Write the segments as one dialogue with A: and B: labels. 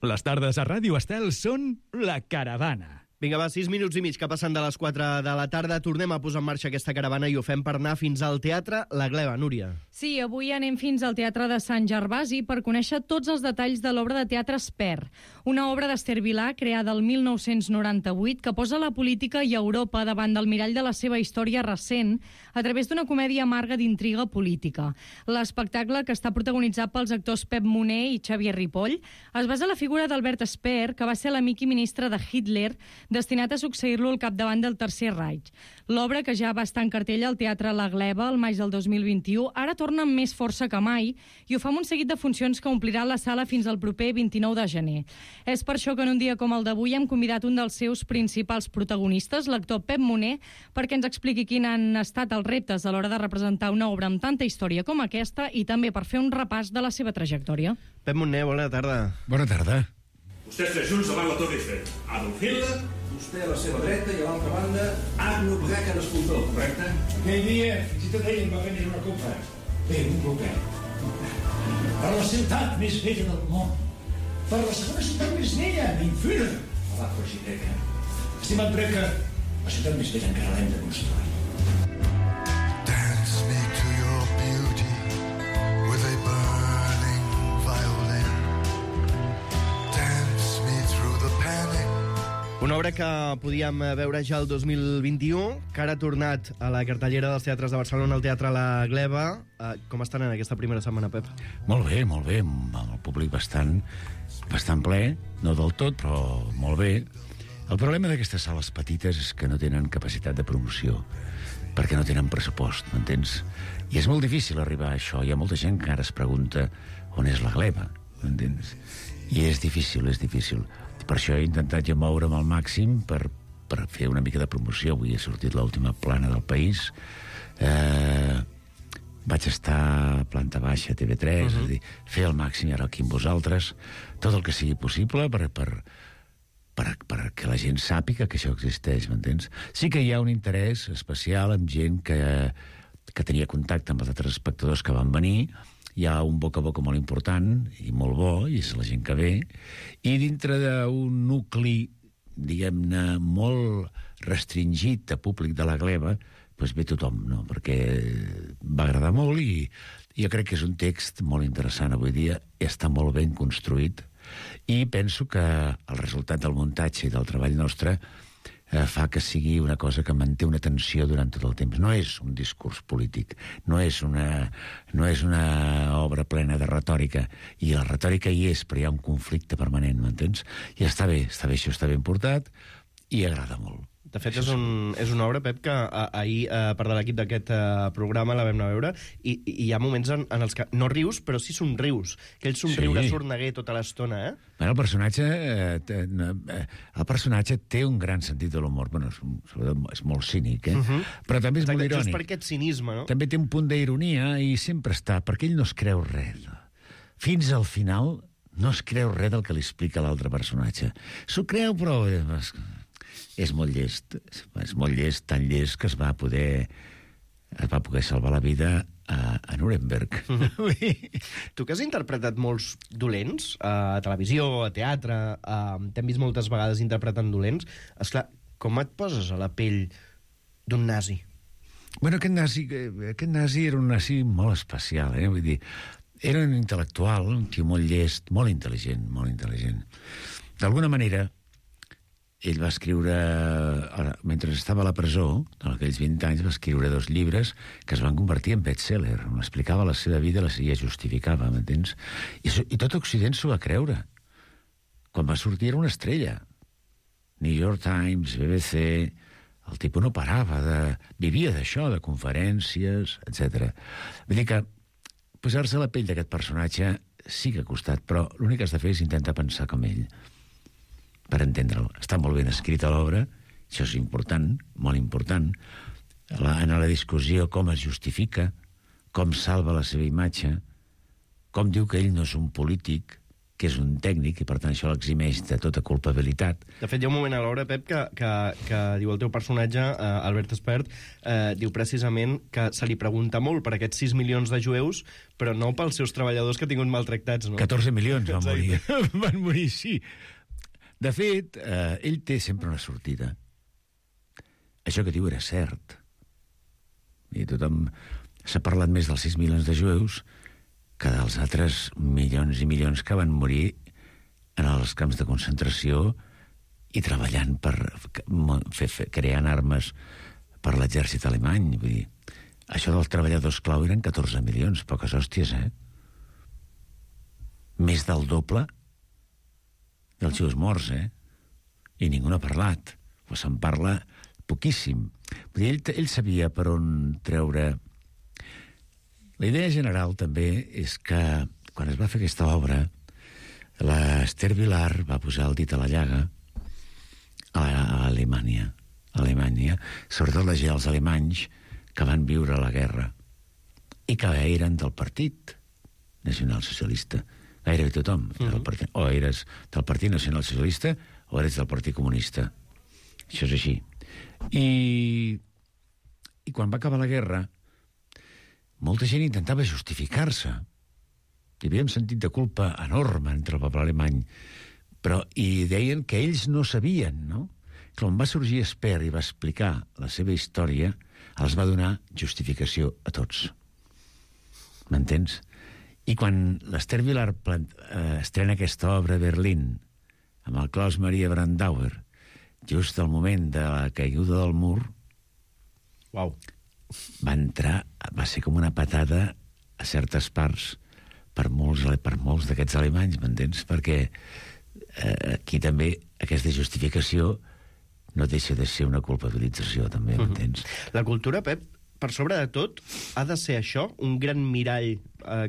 A: Les tardes a Ràdio Estel són La Caravana.
B: Vinga, va, 6 minuts i mig que passen de les 4 de la tarda. Tornem a posar en marxa aquesta caravana i ho fem per anar fins al Teatre La Gleva. Núria.
C: Sí, avui anem fins al Teatre de Sant Gervasi per conèixer tots els detalls de l'obra de teatre Esper, una obra d'Ester Vilà creada el 1998 que posa la política i Europa davant del mirall de la seva història recent a través d'una comèdia amarga d'intriga política. L'espectacle, que està protagonitzat pels actors Pep Moner i Xavier Ripoll, es basa en la figura d'Albert Speer, que va ser l'amic i ministre de Hitler, destinat a succeir-lo al capdavant del Tercer Reich. L'obra, que ja va estar en cartella al Teatre La Gleva el maig del 2021, ara torna amb més força que mai i ho fa amb un seguit de funcions que omplirà la sala fins al proper 29 de gener. És per això que en un dia com el d'avui hem convidat un dels seus principals protagonistes, l'actor Pep Moner, perquè ens expliqui quins han estat els reptes a l'hora de representar una obra amb tanta història com aquesta i també per fer un repàs de la seva trajectòria.
B: Pep Moner, bona tarda.
D: Bona tarda.
E: Vostès tres junts davant la Torre Eiffel. Adolf Hitler,
F: vostè a la seva dreta i a l'altra banda Agnus Bracken escultor, correcte?
E: aquell dia fins i tot ell em va venir una copa. Bé, un copet. Per la ciutat més vella del món. Per la segona ciutat més vella, Mainfira. A la Frigideka. Estimat Breca, la ciutat més vella encara l'hem de construir.
G: Dance me to your beauty with a burning violin. Dance me through the panic.
B: Una obra que podíem veure ja el 2021, que ara ha tornat a la cartellera dels teatres de Barcelona, al Teatre La Gleva. Com estan en aquesta primera setmana, Pep?
D: Molt bé, amb el públic bastant ple, no del tot, però molt bé. El problema d'aquestes sales petites és que no tenen capacitat de promoció, perquè no tenen pressupost, m'entens? I és molt difícil arribar a això. Hi ha molta gent que ara es pregunta on és La Gleva, m'entens? I és difícil. Per això he intentat ja moure'm al màxim per fer una mica de promoció. Avui he sortit l'última plana del País. Vaig estar a planta baixa a TV3, és a dir, fer el màxim i ara aquí amb vosaltres, tot el que sigui possible perquè la gent sàpiga que això existeix, m'entens? Sí que hi ha un interès especial amb gent que tenia contacte amb els altres espectadors que van venir. Hi ha un boca a boca molt important i molt bo, i és la gent que ve, i dintre d'un nucli, diguem-ne, molt restringit de públic de La Gleva, doncs ve tothom, no? Perquè va agradar molt i jo crec que és un text molt interessant avui dia, està molt ben construït, i penso que el resultat del muntatge i del treball nostre fa que sigui una cosa que manté una tensió durant tot el temps. No és un discurs polític, no és una obra plena de retòrica, i la retòrica hi és, però hi ha un conflicte permanent, m'entens? I està bé, això està ben portat i agrada molt.
B: De fet, és una obra, Pep, que ahir, part de l'equip d'aquest programa, la vam anar a veure, i hi ha moments en els que no rius, però sí somrius. Aquell somriure sorneguer tota l'estona, eh?
D: Bueno, el personatge té un gran sentit de l'humor. Bueno, és molt cínic, però també és molt irònic.
B: Just per aquest cinisme, no?
D: També té un punt d'ironia i sempre està, perquè ell no es creu res. Fins al final no es creu res del que li explica l'altre personatge. S'ho creu, però és molt llest, tan llest que es va poder salvar la vida a Nuremberg.
B: Tu que has interpretat molts dolents a televisió, a teatre, t'hem vist moltes vegades interpretant dolents, esclar, com et poses a la pell d'un nazi?
D: Bueno, aquest nazi era un nazi molt especial, vull dir, era un intel·lectual, un tio molt llest, molt intel·ligent. D'alguna manera, ell va escriure, mentre estava a la presó, en aquells 20 anys, va escriure 2 llibres que es van convertir en best-seller, on explicava la seva vida i la justificava, m'entens? I tot Occident s'ho va creure. Quan va sortir era una estrella. New York Times, BBC, el tipus no parava, vivia d'això, de conferències, etc. Vull dir que posar-se a la pell d'aquest personatge sí que ha costat, però l'únic que has de fer és intentar pensar com ell, per entendre'l. Està molt ben escrita l'obra, això és important, molt important. En la discussió com es justifica, com salva la seva imatge, com diu que ell no és un polític, que és un tècnic, i per tant això l'eximeix de tota culpabilitat.
B: De fet, hi ha un moment a l'obra, Pep, que diu el teu personatge, Albert Espert, diu precisament que se li pregunta molt per aquests 6 milions de jueus, però no pels seus treballadors que han tingut maltractats, no?
D: 14 milions van morir. Van morir, sí. De fet, ell té sempre una sortida. Això que diu era cert. I tothom s'ha parlat més dels 6 milions de jueus que dels altres milions i milions que van morir en els camps de concentració i treballant per creant armes per l'exèrcit alemany. Vull dir, això dels treballadors clau eren 14 milions, poques hòsties, Més del doble dels jueus morts, I ningú n'ha parlat. O se'n parla poquíssim. Vull dir, ell sabia per on treure. La idea general també és que quan es va fer aquesta obra, l'Esther Vilar va posar el dit a la llaga a Alemanya, sobretot els alemanys que van viure la guerra i que eren del Partit Nacional Socialista. Gairebé tothom. O eres del Partit Nacional Socialista o eres del Partit Comunista. Això és així. I quan va acabar la guerra, molta gent intentava justificar-se. Hi havia un sentit de culpa enorme entre el poble alemany, i deien que ells no sabien, no? Quan va sorgir Espert i va explicar la seva història, els va donar justificació a tots. M'entens? I quan l'Esther Vilar estrena aquesta obra a Berlín, amb el Klaus Maria Brandauer, just al moment de la caiguda del mur,
B: Uau.
D: va ser com una patada a certes parts per molts d'aquests alemanys, m'entens? Perquè aquí també aquesta justificació no deixa de ser una culpabilització, també, m'entens?
B: La cultura, Pep, per sobre de tot, ha de ser això, un gran mirall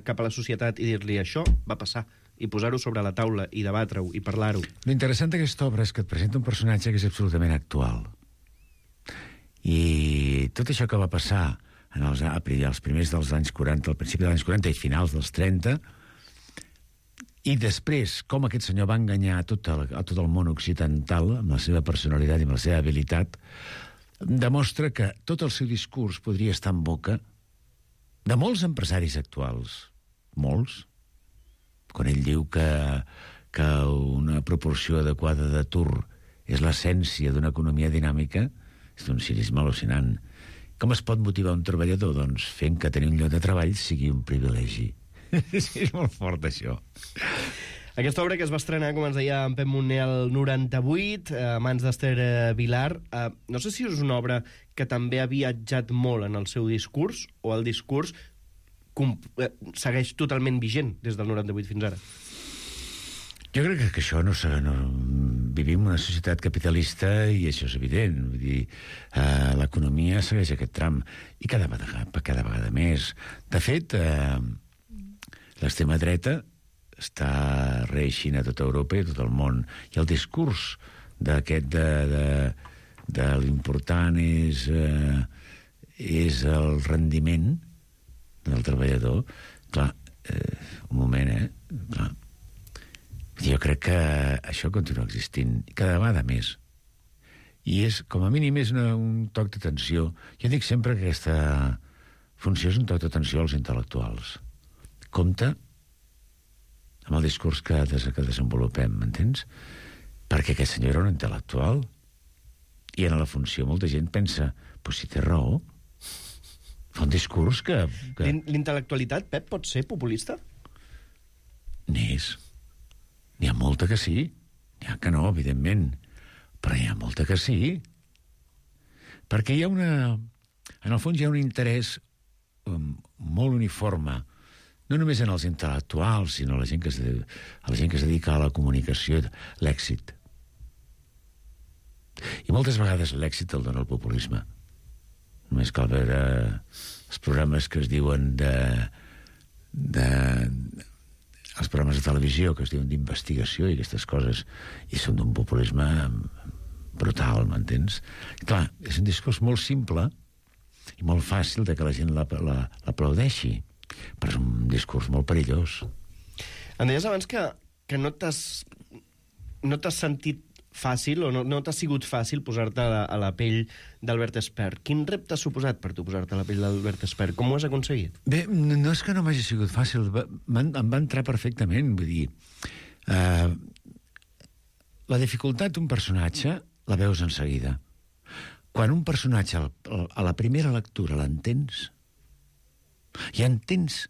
B: cap a la societat i dir-li això va passar, i posar-ho sobre la taula, i debatre-ho, i parlar-ho.
D: L'interessant d'aquesta obra és que et presenta un personatge que és absolutament actual. I tot això que va passar als primers dels anys 40, al principi dels anys 40 i finals dels 30, i després com aquest senyor va enganyar a tot el món occidental amb la seva personalitat i amb la seva habilitat, demostra que tot el seu discurs podria estar en boca de molts empresaris actuals. Molts. Quan ell diu que una proporció adequada d'atur és l'essència d'una economia dinàmica, és d'un cinisme al·lucinant. Com es pot motivar un treballador? Doncs fent que tenir un lloc de treball sigui un privilegi. És molt fort, això.
B: Aquesta obra que es va estrenar, com ens deia en Pep Monner, el 98, a mans d'Esther Vilar, no sé si és una obra que també ha viatjat molt en el seu discurs, o el discurs segueix totalment vigent des del 98 fins ara.
D: Jo crec que això no... Vivim una societat capitalista i això és evident. Vull dir, l'economia segueix aquest tram i cada vegada més. De fet, l'extrema dreta està reeixint a tota Europa i a tot el món. I el discurs d'aquest de l'important és el rendiment del treballador. Clar, un moment, clar. Jo crec que això continua existint cada vegada més. I és, com a mínim, és un toc d'atenció. Jo dic sempre que aquesta funció és un toc d'atenció als intel·lectuals. Compte amb el discurs que desenvolupem, m'entens? Perquè aquest senyor era un intel·lectual i en la funció molta gent pensa, però si té raó, fa un discurs que...
B: L'intel·lectualitat, Pep, pot ser populista?
D: N'és. N'hi ha molta que sí. N'hi ha que no, evidentment. Però hi ha molta que sí. Perquè hi ha una... En el fons hi ha un interès molt uniforme, no només en els intel·lectuals, sinó a la gent que es dedica a la comunicació, l'èxit. I moltes vegades l'èxit el dona el populisme. Només cal veure els programes que es diuen els programes de televisió que es diuen d'investigació i aquestes coses, i són d'un populisme brutal, m'entens? Clar, és un discurs molt simple i molt fàcil de que la gent l'aplaudeixi, però és un discurs molt perillós.
B: Em deies abans que que no t'has sentit fàcil, o no t'ha sigut fàcil posar-te a la pell d'Albert Espert. Quin repte ha suposat per tu posar-te a la pell d'Albert Espert? Com ho has aconseguit?
D: Bé, no és que no m'hagi sigut fàcil, em va entrar perfectament, vull dir... la dificultat d'un personatge la veus en seguida. Quan un personatge a la primera lectura l'entens, i entens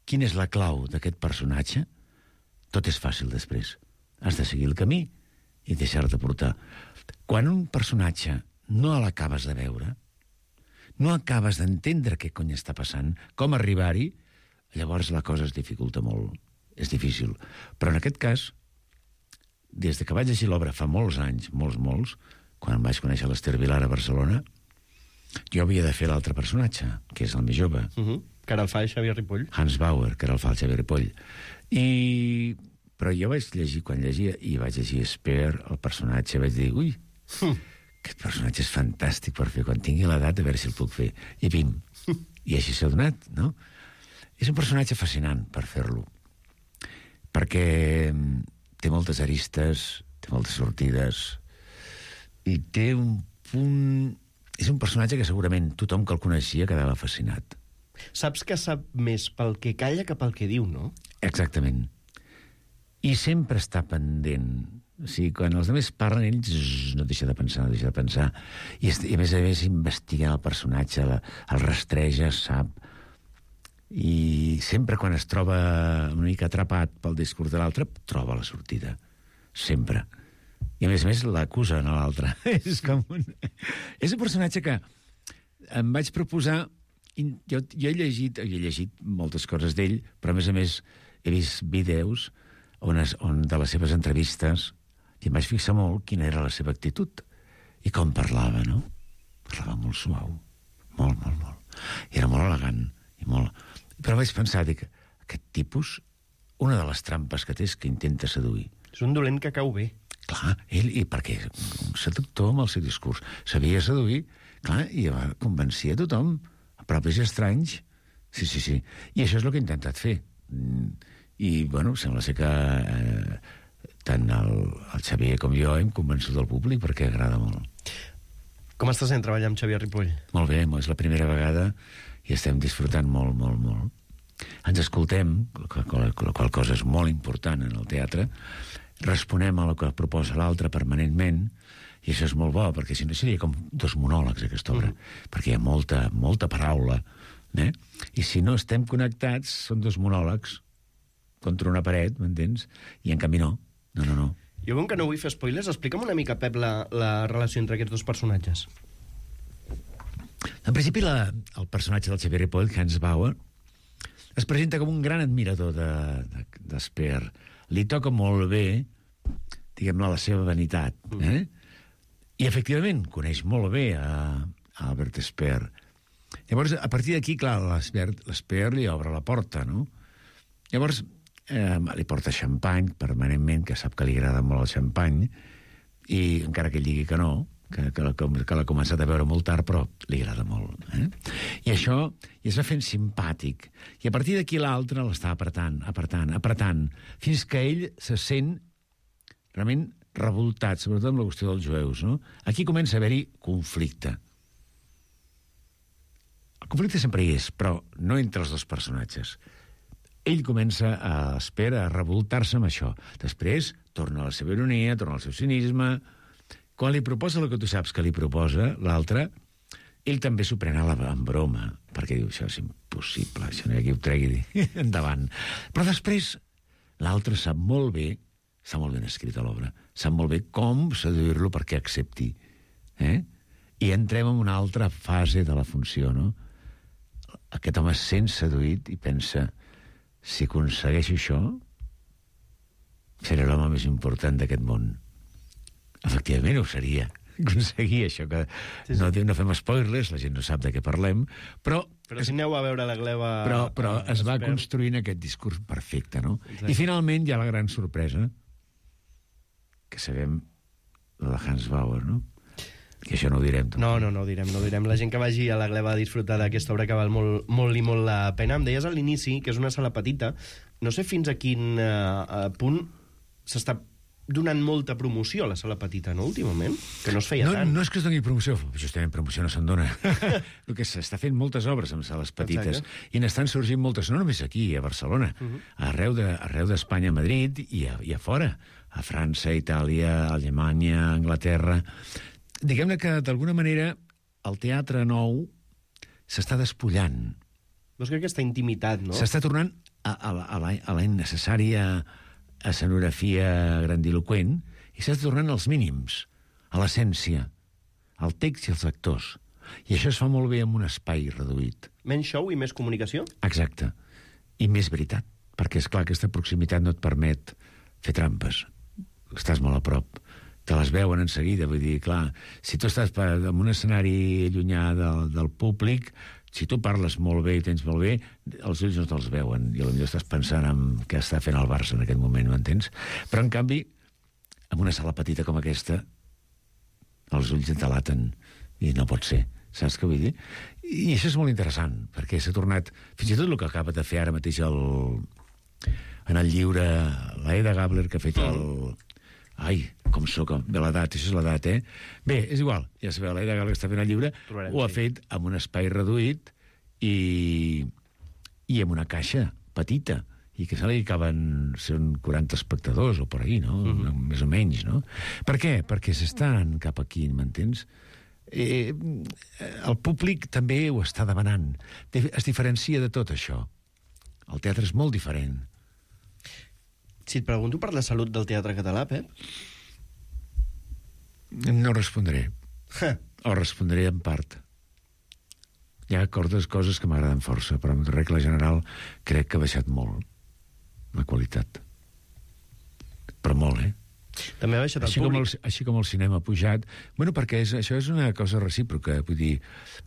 D: quina és la clau d'aquest personatge, tot és fàcil després. Has de seguir el camí i deixar-te portar. Quan un personatge no l'acabes de veure, no acabes d'entendre què cony està passant, com arribar-hi, llavors la cosa es dificulta molt. És difícil. Però en aquest cas, des que vaig llegir l'obra fa molts anys, molts, quan vaig conèixer l'Ester Vilar a Barcelona, jo havia de fer l'altre personatge, que és el més jove.
B: Que era el fa Xavier Ripoll.
D: Hans Bauer, que era el fa Xavier Ripoll. Però jo vaig llegir, quan llegia, i vaig llegir Espert, el personatge, vaig dir, ui, aquest personatge és fantàstic per fer, quan tingui l'edat, a veure si el puc fer. I pim. I així s'ha donat, no? És un personatge fascinant per fer-lo, perquè té moltes aristes, té moltes sortides, i té un punt... És un personatge que segurament tothom que el coneixia quedava fascinat.
B: Saps que sap més pel que calla que pel que diu, no?
D: Exactament. I sempre està pendent. O sigui, quan els altres parlen, ells no deixa de pensar, I a més investiga el personatge, el rastreja, sap. I sempre quan es troba una mica atrapat pel discurs de l'altre, troba la sortida. Sempre. I a més l'acusen a l'altre. És com un... És un personatge que em vaig proposar... Jo he llegit moltes coses d'ell, però a més he vist vídeos on de les seves entrevistes, i em vaig fixar molt quina era la seva actitud i com parlava, no? Parlava molt suau, molt. I era molt elegant. Però vaig pensar, dic, aquest tipus, una de les trampes que té és que intenta seduir.
B: És un dolent que cau bé.
D: Clar, i perquè un seductor amb el seu discurs sabia seduir, clar, i convencia a tothom, a propis estranys. Sí. I això és el que he intentat fer. I, bueno, sembla ser que tant el Xavier com jo hem convençut el públic perquè agrada molt.
B: Com estàs treballar amb Xavier Ripoll?
D: Molt bé, és la primera vegada i estem disfrutant molt. Ens escoltem, la qual cosa és molt important en el teatre, responem a el que proposa l'altre permanentment, i això és molt bo, perquè si no seria com dos monòlegs, aquesta obra, perquè hi ha molta paraula, i si no estem connectats, són dos monòlegs contra una paret, m'entens? I en canvi no.
B: Jo com que no vull fer spoilers, explica'm una mica, Pep, la relació entre aquests dos personatges.
D: En principi, el personatge del Xavier Ripoll, Hans Bauer, es presenta com un gran admirador d'Espert. Li toca molt bé, diguem-ne, la seva vanitat. I, efectivament, coneix molt bé a Albert Espert. Llavors, a partir d'aquí, clar, l'Espert li obre la porta, no? Llavors, li porta xampany permanentment, que sap que li agrada molt el xampany, i encara que ell digui que no, que l'ha començat a veure molt tard, però li agrada molt. I això es va fent simpàtic. I a partir d'aquí l'altre l'està apretant, fins que ell se sent realment revoltat, sobretot amb la qüestió dels jueus, no? Aquí comença a haver-hi conflicte. El conflicte sempre hi és, però no entre els dos personatges. Ell comença a revoltar-se amb això. Després torna a la seva ironia, torna al seu cinisme. Quan li proposa el que tu saps que li proposa, l'altre, ell també s'ho pren en broma, perquè diu, això és impossible, això no hi ha qui ho tregui endavant. Però després, l'altre sap molt bé, està molt ben escrita l'obra, sap molt bé com seduir-lo perquè accepti. I entrem en una altra fase de la funció, no? Aquest home es sent seduït i pensa, si aconsegueixo això, seré l'home més important d'aquest món. Efectivament, ho seria. Aconseguir això, que no fem spoilers, la gent no sap de què parlem, però
B: si aneu a veure la gleva...
D: Però es va construint aquest discurs perfecte, no? Exacte. I finalment hi ha la gran sorpresa, que sabem la de Hans Bauer, no? Que això no ho direm.
B: No ho direm. La gent que vagi a la gleva a disfrutar d'aquesta obra que val molt la pena. Em deies a l'inici que és una sala petita. No sé fins a quin punt s'està donant molta promoció a la sala petita, no, últimament? Que no es feia tant.
D: No és que es doni promoció, justament promoció no se'n dona. El que s'està fent moltes obres amb sales petites.
B: Exacte.
D: I n'estan sorgint moltes, no només aquí, a Barcelona, arreu d'Espanya, a Madrid i a fora, a França, Itàlia, Alemanya, Anglaterra. Diguem-ne que, d'alguna manera, el teatre nou s'està despullant.
B: No és que aquesta intimitat, no?
D: S'està tornant a la innecessària escenografia grandiloquent i s'està tornant als mínims, a l'essència, al text i als actors. I això es fa molt bé en un espai reduït.
B: Menys show i més comunicació?
D: Exacte. I més veritat, perquè, és clar, aquesta proximitat no et permet fer trampes. Estàs molt a prop. Te les veuen en seguida, vull dir, clar, si tu estàs en un escenari allunyà del públic, si tu parles molt bé i tens molt bé, els ulls no te'ls veuen, i potser estàs pensant en què està fent el Barça en aquest moment, m'entens? Però, en canvi, en una sala petita com aquesta, els ulls et delaten, i no pot ser, saps què vull dir? I això és molt interessant, perquè s'ha tornat... Fins i tot el que acaba de fer ara mateix en el llibre l'Aida Gabler, que ha fet el... Ai, com sóc, bé l'edat, això és l'edat, eh? Bé, és igual, ja sabeu, l'Aida Gabler que està fent el llibre, ho ha fet amb un espai reduït i amb una caixa petita, i que se li acaben sent 40 espectadors o per ahí, no? Més o menys, no? Per què? Perquè s'estan cap aquí, m'entens? El públic també ho està demanant. Es diferencia de tot això. El teatre és molt diferent.
B: Si et pregunto per la salut del teatre català, Pep?
D: No respondré. O respondré en part. Hi ha coses que m'agraden força, però en regla general crec que ha baixat molt la qualitat. Però molt, eh?
B: També ha baixat el públic.
D: Així com el cinema ha pujat. Bueno, perquè això és una cosa recíproca. Vull dir,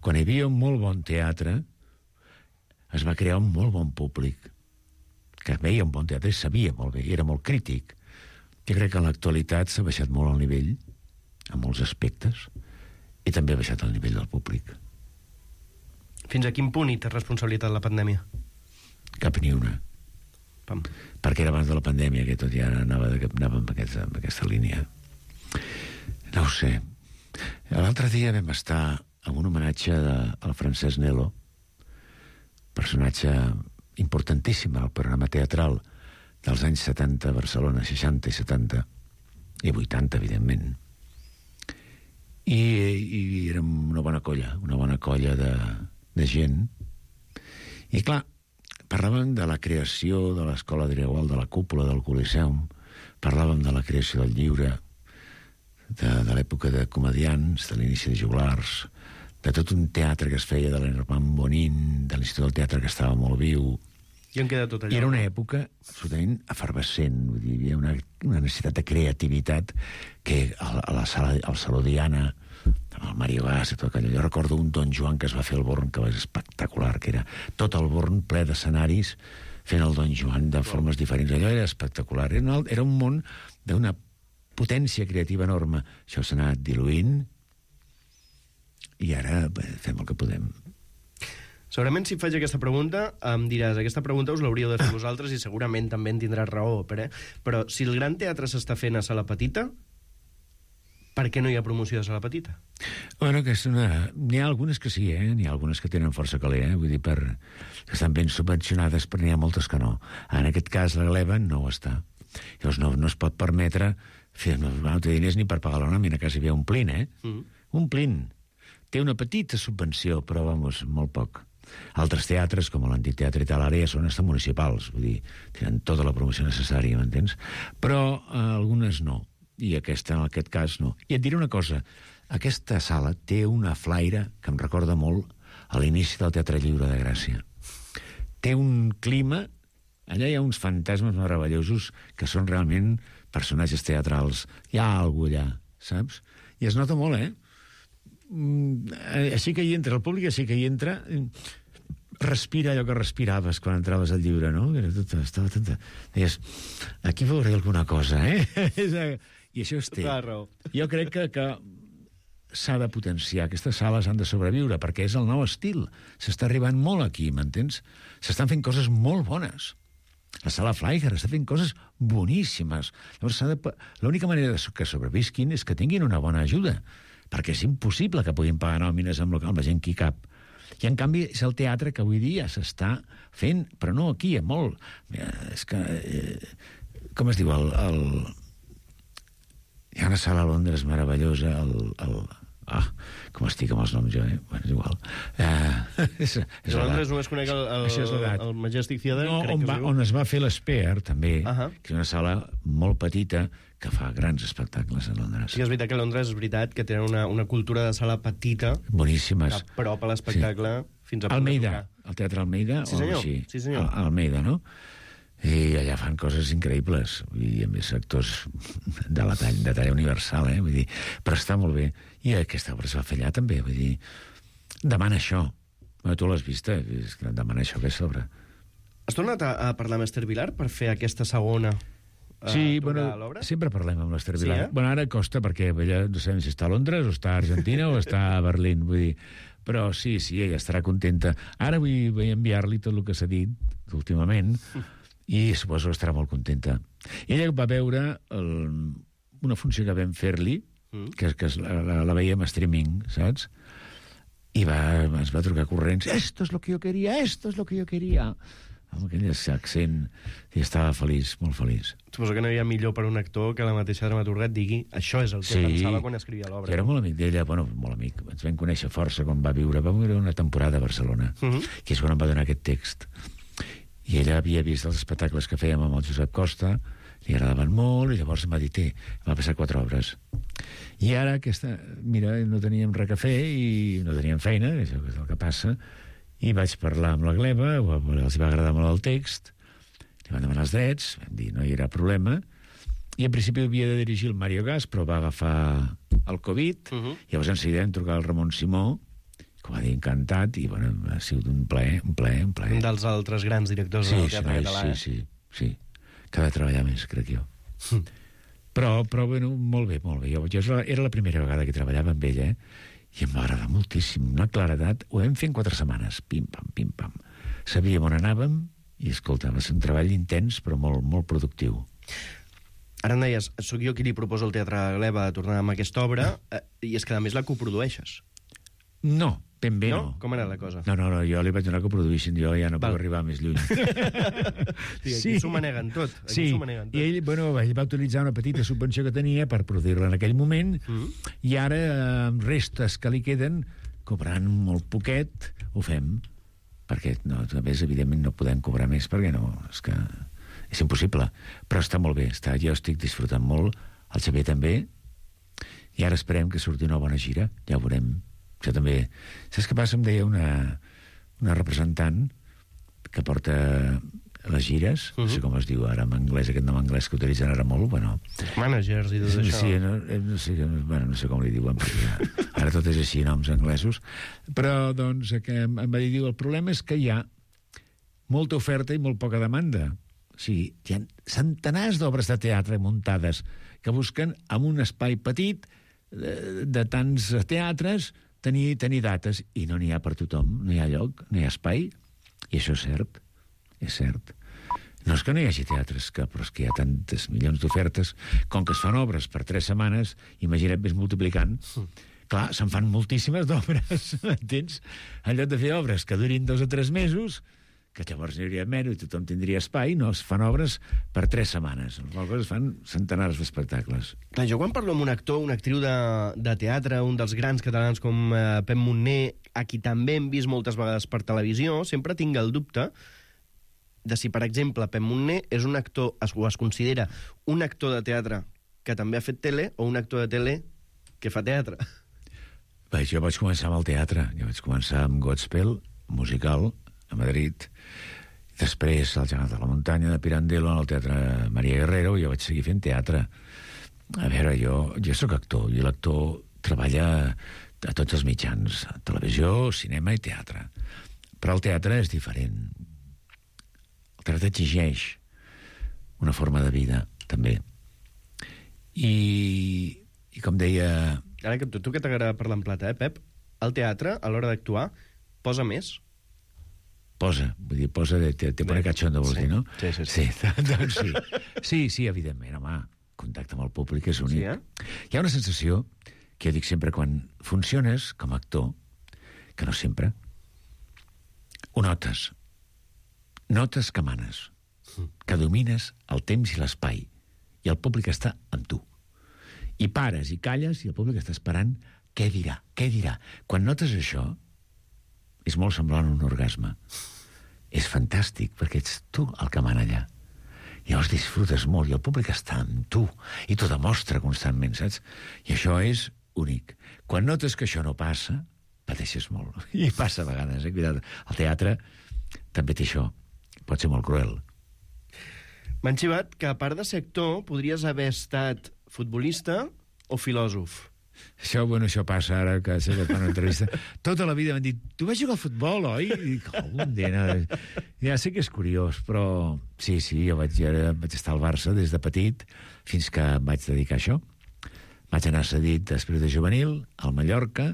D: quan hi havia un molt bon teatre, es va crear un molt bon públic que veia un bon teatre i sabia molt bé, i era molt crític. Jo crec que en l'actualitat s'ha baixat molt el nivell, en molts aspectes, i també ha baixat el nivell del públic.
B: Fins a quin punt hi té responsabilitat la pandèmia?
D: Cap ni una.
B: Pam.
D: Perquè era abans de la pandèmia, que tot ja anava amb aquesta línia. No ho sé. L'altre dia vam estar en un homenatge al Francesc Nelo, personatge importantíssim al programa teatral dels anys 70 a Barcelona, 60 i 70, i 80, evidentment. I érem una bona colla de gent. I clar, parlàvem de la creació de l'Escola Driegual, de la cúpula del Coliseum, parlàvem de la creació del llibre, de l'època de comedians, de l'inici de joglars, de tot un teatre que es feia de l'Herman Bonin, de l'Institut del Teatre que estava molt viu.
B: I on queda tot allò?
D: I era una època absolutament efervescent, vull dir, hi havia una necessitat de creativitat que al Saló Diana, amb el Mario Gas i tot allò. Jo recordo un Don Juan que es va fer al Born, que va ser espectacular, que era tot el Born ple d'escenaris fent el Don Juan de formes diferents. Allò era espectacular. Era un món d'una potència creativa enorme. Això s'ha anat diluint i ara fem el que podem.
B: Segurament si faig aquesta pregunta em diràs, aquesta pregunta us l'hauríeu de fer vosaltres i segurament també en tindràs raó, però si el gran teatre s'està fent a sala petita, per què no hi ha promoció de sala petita?
D: Bueno, que n'hi ha algunes que sí, n'hi ha algunes que tenen força caler, vull dir, que estan ben subvencionades, però n'hi ha moltes que no. En aquest cas, la Gleba no ho està. Llavors no es pot permetre fer, no té diners ni per pagar la nòmina, quasi bé omplint, omplint. Té una petita subvenció, però, vamos, molt poc. Altres teatres, com l'Antic Teatre i tal, ara ja són estan municipals, vull dir, tenen tota la promoció necessària, m'entens? Però algunes no, i aquesta, en aquest cas, no. I et diré una cosa, aquesta sala té una flaire que em recorda molt a l'inici del Teatre Lliure de Gràcia. Té un clima, allà hi ha uns fantasmes meravellosos que són realment personatges teatrals. Hi ha alguna cosa allà, saps? I es nota molt, així que hi entra, el públic així que hi entra, respira allò que respiraves quan entraves al llibre, no? Estava tot... Deies, aquí veuré alguna cosa, I això es té. Jo crec que s'ha de potenciar, aquestes sales han de sobreviure, perquè és el nou estil. S'està arribant molt aquí, m'entens? S'estan fent coses molt bones. La sala Flaiger està fent coses boníssimes. Llavors, l'única manera que sobrevisquin és que tinguin una bona ajuda, perquè és impossible que puguin pagar nòmines amb la gent que hi cap. I, en canvi, és el teatre que avui dia s'està fent, però no aquí, molt. És que... com es diu? Hi ha una sala a Londres meravellosa, com estic amb els noms jo, Bueno, és igual. És
B: a Londres només conec el Majestic Theatre, crec que es diu.
D: On es va fer l'Spear, també, que és una sala molt petita que fa grans espectacles a Londres.
B: Sí, és veritat que a Londres és veritat que tenen una cultura de sala petita
D: boníssimes.
B: A prop a l'espectacle fins a
D: Almeida, el Teatre Almeida,
B: sí, senyor. Sí, senyor.
D: Almeida, no? I allà fan coses increïbles, i a més actors de talla universal, vull dir, però està molt bé. I aquesta obra es va fer allà també, vull dir, demana això. Tu l'has vista, demana això, aquesta obra.
B: Has tornat a parlar amb Esther Vilar per fer aquesta segona
D: sí,
B: l'obra?
D: Sempre parlem amb l'Esther Vilar.
B: Sí,
D: Bueno, ara costa, perquè ella no sabem si està a Londres, o està a Argentina, o està a Berlín, vull dir. Però sí, ella estarà contenta. Ara vull enviar-li tot el que s'ha dit últimament, i suposo que estarà molt contenta. Ella va veure una funció que vam fer-li, que la veiem a streaming, saps? I ens va trucar corrents, esto es lo que yo quería, amb aquell accent, i estava feliç, molt feliç.
B: Suposo que no hi ha millor per un actor que la mateixa dramaturga et digui això és el que pensava quan escrivia l'obra.
D: Jo era molt amic d'ella, molt amic. Ens vam conèixer força quan va viure una temporada a Barcelona, que és quan em va donar aquest text. I ella havia vist els espectacles que fèiem amb el Josep Costa, li agradaven molt, i llavors em va dir, em va passar 4 obres. I ara, mira, no teníem res a fer i no teníem feina, això és el que passa, i vaig parlar amb la Gleva, els va agradar molt el text, li van demanar els drets, vam dir, no hi era problema, i en principi havia de dirigir el Mario Gas, però va agafar el Covid, llavors en seguida vam trucar al Ramon Simó, que va dir encantat, i bueno, ha sigut un plaer. Un
B: dels altres grans directors del teatre català.
D: Sí, que ha de treballar més, crec jo. Però bueno, molt bé. Jo era la primera vegada que treballava amb ella, i em va agradar moltíssim. Una claredat. Ho vam fer en 4 setmanes. Pim-pam. Sabíem on anàvem, i escolta, va ser un treball intens, però molt, molt productiu.
B: Ara em deies, soc jo qui li proposo al Teatre Gleva de tornar amb aquesta obra, i és que a més la coprodueixes.
D: No, ben bé no.
B: Com era la cosa?
D: No, jo li vaig donar que ho produïssin, jo ja no puc arribar més lluny.
B: Aquí s'ho maneguen tot.
D: Sí, i ell va utilitzar una petita subvenció que tenia per produir-la en aquell moment, i ara, amb restes que li queden, cobrant molt poquet, ho fem. Perquè, a més, evidentment, no podem cobrar més, perquè no, és que és impossible. Però està molt bé, jo estic disfrutant molt, el Xavier també, i ara esperem que surti una bona gira, ja ho veurem. Això també... Saps què passa? Em deia una representant que porta les gires, no sé com es diu ara en anglès, aquest nom anglès que utilitzen ara molt, bueno...
B: Managers i tot això.
D: Sí, no sé com li diuen, perquè ara tot és així, noms anglesos. Però, doncs, em va dir, el problema és que hi ha molta oferta i molt poca demanda. O sigui, hi ha centenars d'obres de teatre muntades que busquen en un espai petit de tants teatres tenir dates, i no n'hi ha per tothom, no hi ha lloc, no hi ha espai, i això és cert. No és que no hi hagi teatres, però és que hi ha tantes milions d'ofertes, com que es fan obres per 3 setmanes, imagina't més multiplicant, clar, se'n fan moltíssimes d'obres, entens? En lloc de fer obres que durin 2 o 3 mesos, que llavors n'hi hauria menys i tothom tindria espai, no, es fan obres per 3 setmanes. Aleshores es fan centenars d'espectacles.
B: Clar, jo quan parlo amb un actor, una actriu de teatre, un dels grans catalans com Pep Monner, a qui també hem vist moltes vegades per televisió, sempre tinc el dubte de si, per exemple, Pep Monner és un actor, o es considera un actor de teatre que també ha fet tele, o un actor de tele que fa teatre.
D: Bé, jo vaig començar amb el teatre. Jo vaig començar amb Godspell, musical, a Madrid. Després, al Gegant de la Muntanya de Pirandello, en el Teatre Maria Guerrero, jo vaig seguir fent teatre. A veure, jo sóc actor, i l'actor treballa a tots els mitjans, televisió, cinema i teatre. Però el teatre és diferent. El teatre exigeix una forma de vida, també. I com deia...
B: Ara, tu que t'agrada parlar en plata, Pep, el teatre, a l'hora d'actuar, posa més?
D: Posa te pone cachondo, vols dir, no?
B: Sí.
D: Doncs sí. Sí, evidentment, home, contacte amb el públic és únic.
B: Sí, eh?
D: Hi ha una sensació, que jo dic sempre, quan funciones com a actor, que no sempre, ho notes. Notes que manes, que domines el temps i l'espai, i el públic està amb tu. I pares i calles, i el públic està esperant què dirà. Quan notes això, és molt semblant a un orgasme. És fantàstic, perquè ets tu el que mana allà. Llavors disfrutes molt, i el públic està amb tu, i t'ho demostra constantment, saps? I això és únic. Quan notes que això no passa, pateixes molt. I passa a vegades, cuida't. El teatre també té això. Pot ser molt cruel.
B: M'han xivat que, a part de ser actor, podries haver estat futbolista o filòsof.
D: Això passa ara, que sé que fan una entrevista. Tota la vida m'han dit, tu vas jugar a futbol, oi? I dic, ja sé que és curiós, però sí, jo vaig estar al Barça des de petit, fins que em vaig dedicar a això. Vaig anar cedit després de juvenil, al Mallorca,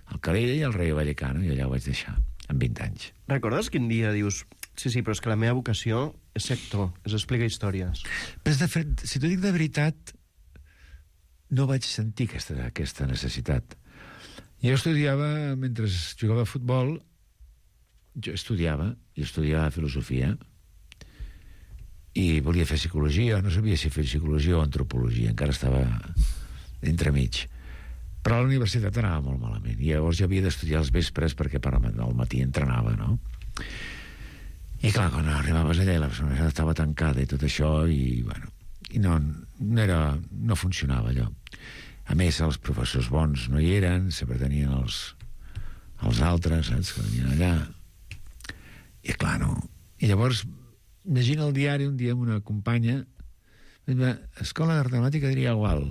D: al Calella i al Rayo Vallecano, i allà ho vaig deixar, amb 20 anys.
B: Recordes quin dia dius, sí, però és que la meva vocació és ser actor, és explicar històries?
D: Però, de fet, si t'ho dic de veritat, no vaig sentir aquesta necessitat. Jo estudiava, mentre jugava a futbol, jo estudiava filosofia i volia fer psicologia, no sabia si fer psicologia o antropologia, encara estava entremig. Però a la universitat anava molt malament, i llavors jo havia d'estudiar als vespres perquè al matí entrenava, no? I clar, quan arribaves allà la persona estava tancada i tot això, i bueno, i no funcionava allò. A més, els professors bons no hi eren, sempre tenien els altres, saps, que venien allà. I clar, no. I llavors, llegint el diari un dia amb una companya, escola d'art dramàtica diria igual,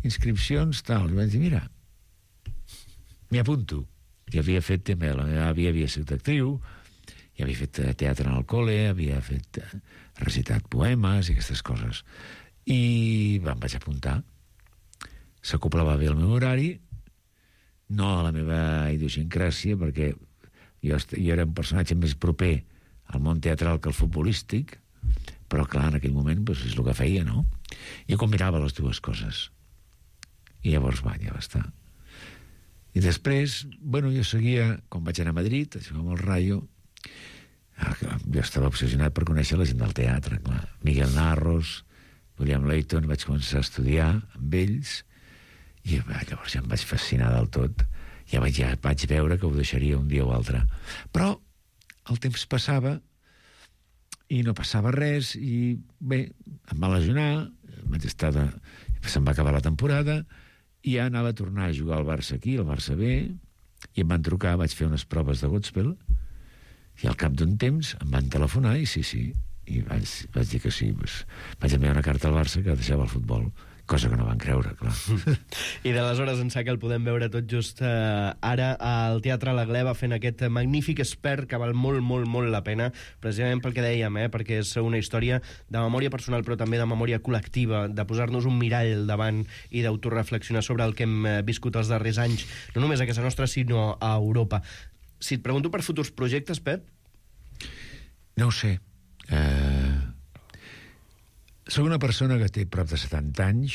D: inscripcions, tal. I vaig dir, mira, m'hi apunto. I havia fet també, havia sigut actriu, i havia fet teatre en el col·le, havia recitat poemes i aquestes coses. I em vaig apuntar. S'acoplava bé el meu horari, no a la meva idiosincràsia, perquè jo era un personatge més proper al món teatral que al futbolístic, però clar, en aquell moment és el que feia, no? I combinava les dues coses. I llavors ja va estar. I després, jo seguia, quan vaig anar a Madrid, a jugar amb el Rayo, jo estava obsessionat per conèixer la gent del teatre, clar. Miguel Narros, William Layton, vaig començar a estudiar amb ells, i llavors ja em vaig fascinar del tot. Ja vaig veure que ho deixaria un dia o altre. Però el temps passava i no passava res, i bé, em va lesionar, se'm va acabar la temporada, i ja anava a tornar a jugar al Barça aquí, al Barça B, i em van trucar, vaig fer unes proves de Godspell, i al cap d'un temps em van telefonar, i sí, i vaig dir que sí. Vaig enviar una carta al Barça que deixava el futbol, cosa que no van creure, clar.
B: I d'aleshores ençà que el podem veure tot just ara al Teatre La Gleva fent aquest magnífic Espert que val molt, molt, molt la pena, precisament pel que dèiem, perquè és una història de memòria personal però també de memòria col·lectiva, de posar-nos un mirall davant i d'autoreflexionar sobre el que hem viscut els darrers anys, no només a casa nostra sinó a Europa. Si et pregunto per futurs projectes, Pep?
D: No ho sé. Soc una persona que té prop de 70 anys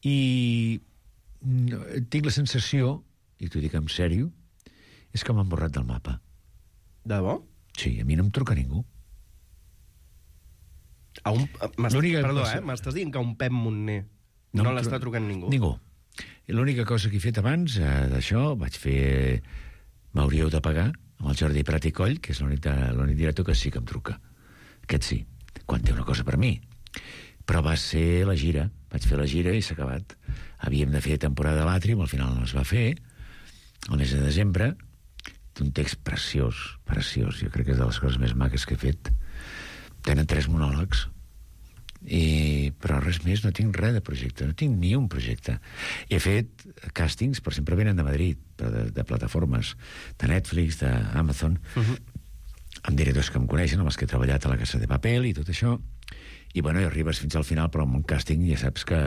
D: i tinc la sensació, i t'ho dic en sèrio, és que m'han borrat del mapa.
B: De debò?
D: Sí, a mi no em truca ningú.
B: M'estàs dient que un Pep Montner no l'està trucant ningú?
D: Ningú. L'única cosa que he fet abans d'això, vaig fer M'hauríeu de pagar, amb el Jordi Prat i Coll, que és l'únic director que sí que em truca. Aquest sí, quan té una cosa per mi. Però va ser la gira. Vaig fer la gira i s'ha acabat. Havíem de fer temporada de l'Àtrium, al final no es va fer, el mes de desembre, d'un text preciós. Jo crec que és de les coses més maques que he fet. Tenen 3 monòlegs, però res més, no tinc res de projecte, no tinc ni un projecte. He fet càstings, però sempre venen de Madrid, de plataformes, de Netflix, d'Amazon, amb directors que em coneixen, amb els que he treballat a la Casa de Papel i tot això, i bueno, i arribes fins al final, però amb un càsting ja saps que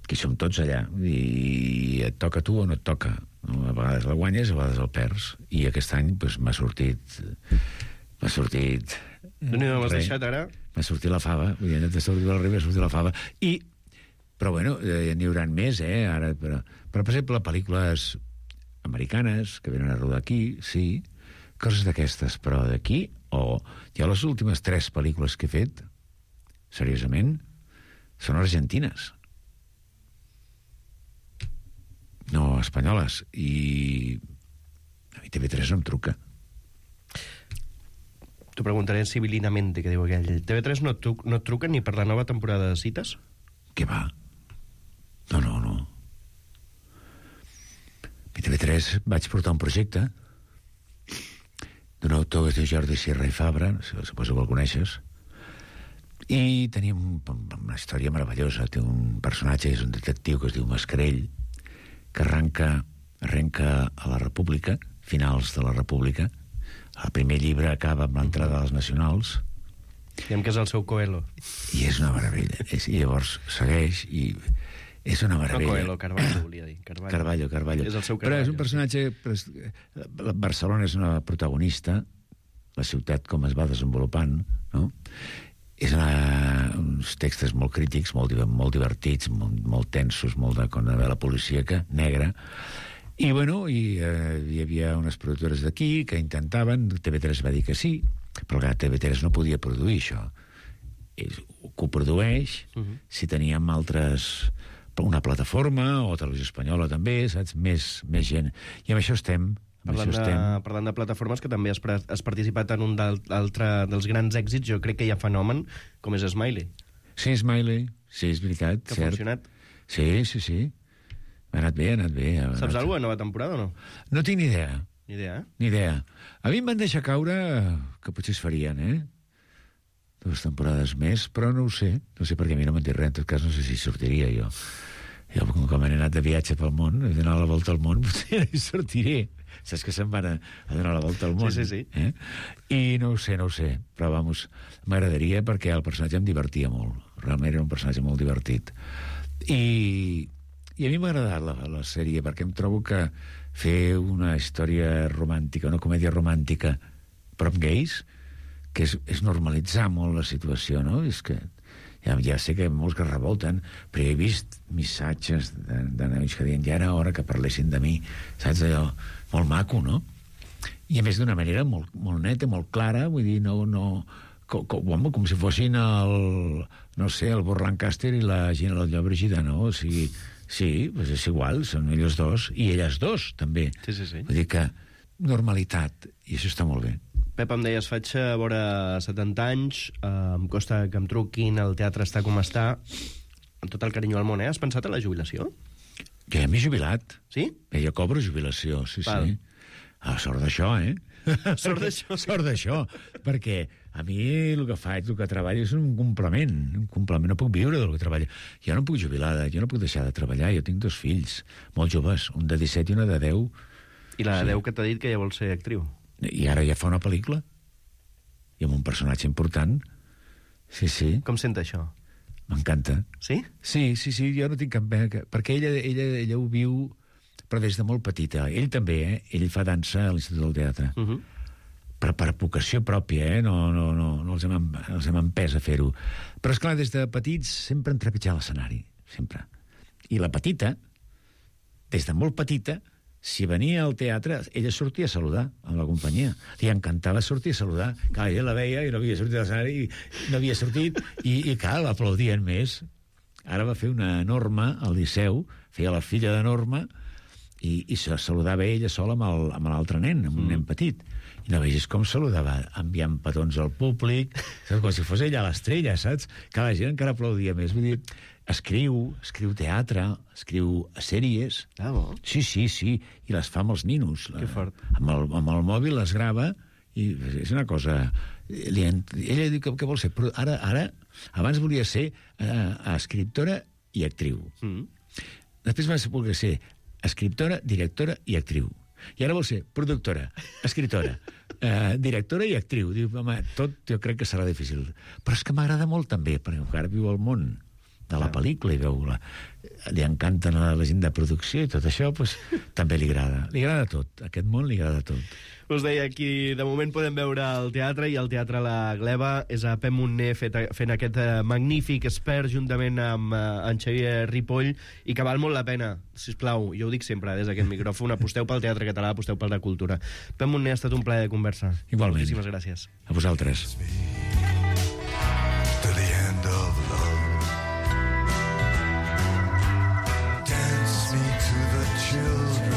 D: hi som tots allà, i et toca a tu o no et toca. No? A vegades la guanyes, a vegades el perds. I aquest any doncs, m'ha sortit...
B: M'has deixat ara?
D: M'ha sortit la fava. Vull dir, de sortir del riu m'ha sortit la fava. Però bueno, n'hi haurà més, ara. Però, per exemple, pel·lícules americanes que venen a rodar aquí, sí, coses d'aquestes, però d'aquí, jo les últimes 3 pel·lícules que he fet, seriosament, són argentines. No espanyoles. I a mi TV3 no em truca.
B: T'ho preguntaré civilinamente, que diu aquell. TV3 no et truquen ni per la nova temporada de Cites?
D: Què va? No. A TV3 vaig portar un projecte d'un autor que es diu Jordi Sierra i Fabra, suposo que el coneixes, i teníem una història meravellosa. Té un personatge, és un detectiu que es diu Mascarell, que arrenca a la República, finals de la República. El primer llibre acaba amb l'entrada dels nacionals.
B: Diem que és el seu Coelho.
D: I és una meravella. I llavors segueix i és una meravella.
B: No Coelho, Carballo, volia dir.
D: Carballo.
B: És el seu Carballo.
D: Però és un personatge... Barcelona és una protagonista, la ciutat com es va desenvolupant, no? És uns textos molt crítics, molt divertits, molt tensos, molt de novel·la policíaca, negra. I, bueno, hi havia unes productores d'aquí que intentaven, TV3 va dir que sí, però clar, TV3 no podia produir això. Ho coprodueix, si teníem una plataforma, o Televisió Espanyola també, saps? Més gent. I amb això estem.
B: Parlant de plataformes, que també has participat en un dels grans èxits, jo crec que hi ha fenomen, com és Smiley.
D: Sí, Smiley, sí, és veritat.
B: Que ha funcionat.
D: Sí. Ha anat bé.
B: Saps alguna cosa de nova temporada o no?
D: No tinc ni idea.
B: Ni idea, eh?
D: Ni idea. A mi em van deixar caure que potser es farien, 2 temporades més, però no ho sé. No sé perquè a mi no m'han dit res. En tot cas, no sé si sortiria jo. Jo, com he anat de viatge pel món, he donat la volta al món, potser hi sortiré. Saps que se'n van a donar la volta al món?
B: Sí.
D: I no ho sé. Però, vamos, m'agradaria perquè el personatge em divertia molt. Realment era un personatge molt divertit. I a mi m'ha agradat la sèrie, perquè em trobo que fer una història romàntica, una comèdia romàntica, però amb gais, que és normalitzar molt la situació, no? És que ja sé que molts que revolten, però he vist missatges de nois que diuen ja era hora que parlessin de mi, saps? Allò molt maco, no? I a més d'una manera molt neta, molt clara, vull dir, com si fossin el Burt Lancaster i la Gina Lotlló Brigida, no? O sigui, sí, doncs és igual, són ells dos, i elles dos, també.
B: Sí.
D: Vull dir que normalitat, i això està molt bé.
B: Pep, em deies, faig vora 70 anys, em costa que em truquin, el teatre està com està, amb tot el carinyo al món, Has pensat en la jubilació?
D: Jo ja m'he jubilat.
B: Sí?
D: Jo cobro jubilació, sí. Sort d'això, Sort d'això, perquè a mi el que faig, el que treballo és un complement, no puc viure del que treballo. Jo no puc jubilar, jo no puc deixar de treballar, jo tinc 2 fills, molt joves, un de 17 i una de 10.
B: I la de 10 que t'ha dit que ja vol ser actriu.
D: I ara ja fa una pel·lícula, i amb un personatge important. Sí.
B: Com sent això?
D: M'encanta.
B: Sí?
D: Sí, jo no tinc cap pena, perquè ella ho viu, però des de molt petita. Ell també, ell fa dansa a l'Institut del Teatre. Però per vocació pròpia, no els hem empès a fer-ho. Però, esclar, des de petits sempre han trepitjat l'escenari, sempre. I la petita, des de molt petita, si venia al teatre, ella sortia a saludar amb la companyia. Li encantava sortir a saludar. Clar, ella la veia i no havia sortit a l'escenari, no havia sortit, i clar, l'aplaudien més. Ara va fer una Norma al Liceu, feia la filla de Norma, i se saludava ella sola amb l'altre nen, amb un nen petit. I no vegis com saludava, enviant petons al públic, com si fos ella l'estrella, saps? Que la gent encara aplaudia més. Vull dir, escriu teatre, escriu sèries.
B: Ah, bo.
D: Sí, i les fa amb els ninos.
B: Que fort.
D: Amb el mòbil les grava, i és una cosa... Ella diu que vol ser... Però ara, abans volia ser escriptora i actriu. Després va voler ser escriptora, directora i actriu. I ara vol ser productora, escriptora, directora i actriu. Diu, home, tot jo crec que serà difícil. Però és que m'agrada molt també, perquè encara viu al món de la pel·lícula i veu li encanten a la gent de producció i tot això, doncs, també li agrada. Li agrada tot. Aquest món li agrada tot.
B: Us deia, aquí de moment podem veure el teatre, i el Teatre La Gleva és a Pep Montner fent aquest magnífic Spare juntament amb en Xavier Ripoll, i que val molt la pena. Sisplau, jo ho dic sempre des d'aquest micròfon, aposteu pel teatre català, aposteu per la cultura. Pep Montner, ha estat un plaer de conversa.
D: Igualment.
B: Moltíssimes gràcies.
D: A vosaltres.
G: To the end of love. Dance me to the children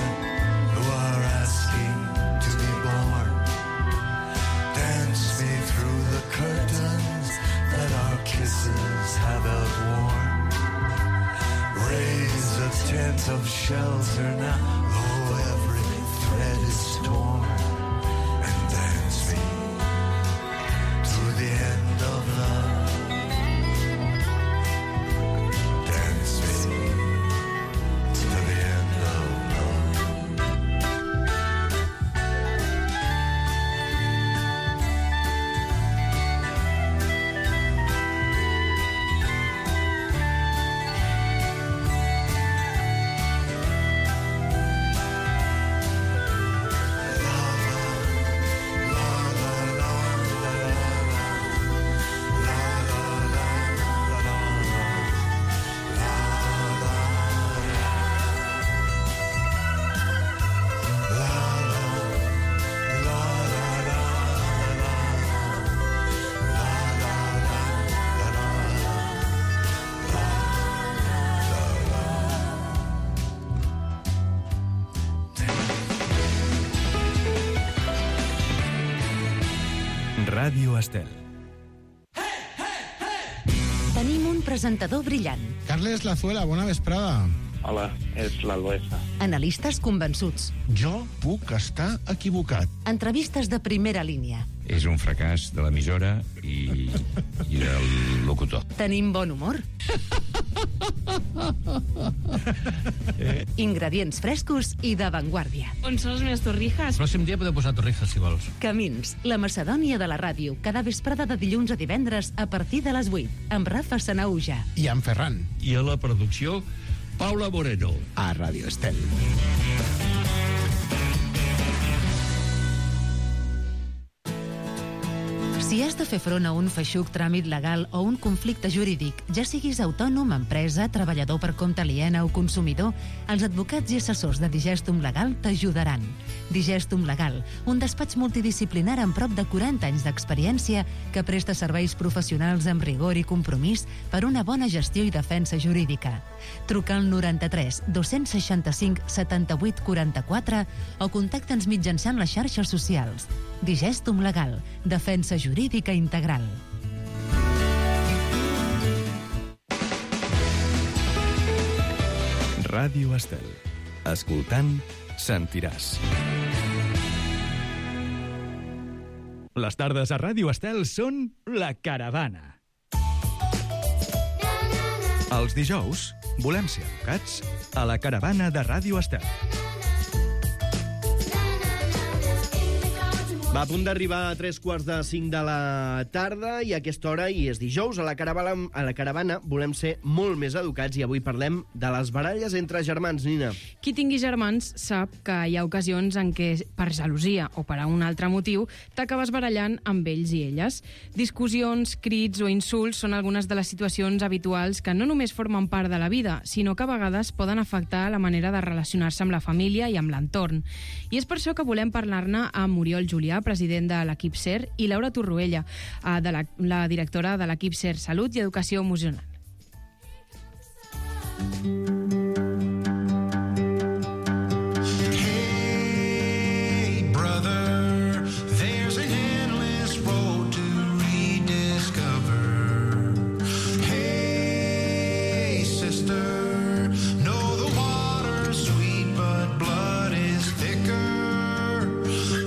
G: who are asking to be born. Dance me through the curtains that our kisses have outworn. Raise a tent of shelter now, though every thread is torn. And dance me to the end of love. Dance me to the end of love.
A: Ràdio Estel.
H: Tenim un presentador brillant,
I: Carles Lazuela, bona vesprada.
J: Hola, és l'Albesa.
H: analistes convençuts,
I: Jo puc estar equivocat.
H: entrevistes de primera línia.
K: És un fracàs de l'emissora i del locutor.
H: Tenim bon humor. Ingredients frescos i d'avantguàrdia.
C: On són les meves torrijas?
I: El pròxim dia podeu posar torrijas, si vols.
H: Camins, la Macedònia de la ràdio, cada vesprada de dilluns a divendres a partir de les 8, amb Rafa Sanauja.
I: I en Ferran.
K: I a la producció, Paula Moreno.
I: A Ràdio Estel.
H: Si has de fer front a un feixuc tràmit legal o un conflicte jurídic, ja siguis autònom, empresa, treballador per compte aliena o consumidor, els advocats i assessors de Digestum Legal t'ajudaran. Digestum Legal, un despatx multidisciplinar amb prop de 40 anys d'experiència que presta serveis professionals amb rigor i compromís per una bona gestió i defensa jurídica. Truca al 93 265 78 44 o contacta'ns mitjançant les xarxes socials. Digestum Legal, defensa jurídica integral.
A: Ràdio Estel. Escoltant, sentiràs. Les tardes a Ràdio Estel són La Caravana. Els dijous volem ser educats a La Caravana de Ràdio Estel.
B: Va a punt d'arribar a 3:45 de la tarda i a aquesta hora, i és dijous, a la caravana volem ser molt més educats i avui parlem de les baralles entre germans, Nina.
C: Qui tingui germans sap que hi ha ocasions en què, per gelosia o per a un altre motiu, t'acabes barallant amb ells i elles. Discussions, crits o insults són algunes de les situacions habituals que no només formen part de la vida, sinó que a vegades poden afectar la manera de relacionar-se amb la família i amb l'entorn. I és per això que volem parlar-ne amb Oriol Julià, president de l'equip SER, i Laura Torroella, la directora de l'equip SER Salut i Educació Emocional.
G: Hey, brother, there's an endless road to rediscover. Hey, sister, know the water's sweet, but blood is thicker.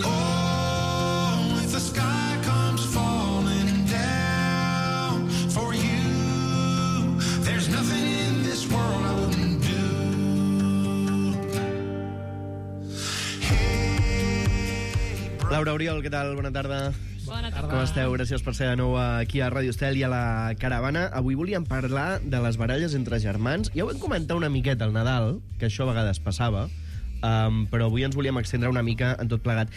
G: Oh, if the sky comes falling down for you, there's nothing in this world I wouldn't do.
B: Laura, Oriol, què tal? Bona tarda.
C: Bona tarda.
B: Com esteu? Gràcies per ser de nou aquí a Ràdio Estel i a la Caravana. Avui volíem parlar de les baralles entre germans. Ja ho vam comentar una miqueta al Nadal, que això a vegades passava, però avui ens volíem extendre una mica en tot plegat.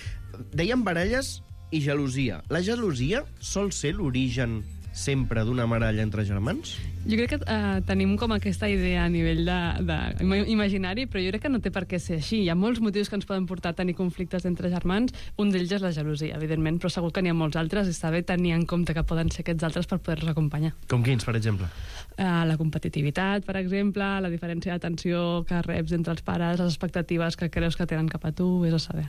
B: Dèiem baralles i gelosia. La gelosia sol ser l'origen sempre d'una baralla entre germans?
L: Jo crec que tenim com aquesta idea a nivell imaginari, però jo crec que no té per què ser així. Hi ha molts motius que ens poden portar a tenir conflictes entre germans. Un d'ells és la gelosia, evidentment, però segur que n'hi ha molts altres i està bé tenir en compte que poden ser aquests altres per poder-los acompanyar.
B: Com quins, per exemple?
L: La competitivitat, per exemple, la diferència d'atenció que reps entre els pares, les expectatives que creus que tenen cap a tu, és a saber.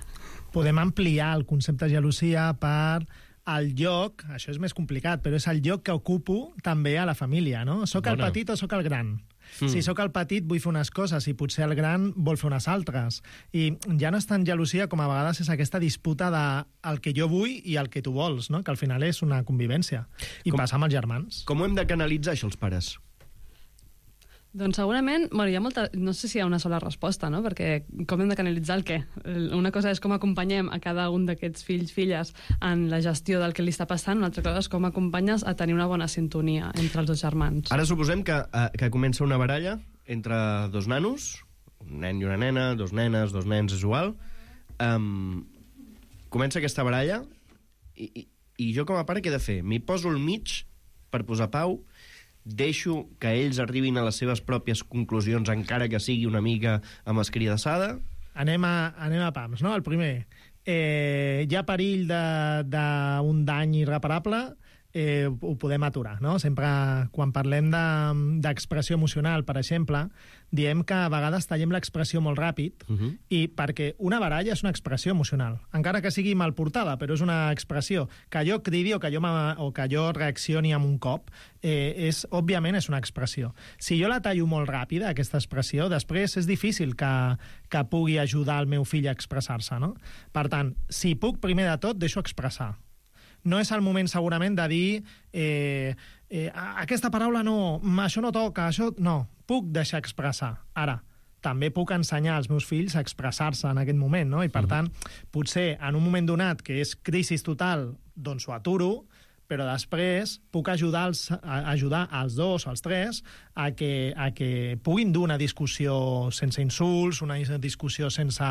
M: Podem ampliar el concepte de gelosia per el lloc, això és més complicat, però és el lloc que ocupo també a la família, no? Soc el petit o soc el gran? Si sóc el petit vull fer unes coses i potser el gran vol fer unes altres. I ja no és tan gelosia com a vegades és aquesta disputa de el que jo vull i el que tu vols, no? Que al final és una convivència. I passa amb els germans.
B: Com ho hem de canalitzar, això, els pares?
L: Doncs segurament, hi ha molta... No sé si hi ha una sola resposta, no? Perquè com hem de canalitzar el què? Una cosa és com acompanyem a cada un d'aquests fills, filles, en la gestió del que li està passant, una altra cosa és com acompanyes a tenir una bona sintonia entre els dos germans.
B: Ara suposem que comença una baralla entre dos nanos, un nen i una nena, dos nenes, dos nens, és igual. Comença aquesta baralla i jo com a pare què he de fer? M'hi poso al mig per posar pau, deixo que ells arribin a les seves pròpies conclusions, encara que sigui una mica amb escridassada?
M: Anem a pams, no? El primer, hi ha perill d'un dany irreparable, ho podem aturar, no? Sempre quan parlem d'expressió emocional, per exemple, diem que a vegades tallem l'expressió molt ràpid i perquè una baralla és una expressió emocional, encara que sigui mal portada, però és una expressió. Que jo cridi o que jo reaccioni amb un cop, òbviament és una expressió. Si jo la tallo molt ràpida, aquesta expressió, després és difícil que pugui ajudar el meu fill a expressar-se, no? Per tant, si puc, primer de tot, deixo expressar. No és el moment, segurament, de dir aquesta paraula no, això no toca, això... No, puc deixar expressar. Ara, també puc ensenyar als meus fills a expressar-se en aquest moment, no? I, per tant, potser en un moment donat que és crisi total, doncs ho aturo, però després puc ajudar els dos o els tres a que puguin dur una discussió sense insults, una discussió sense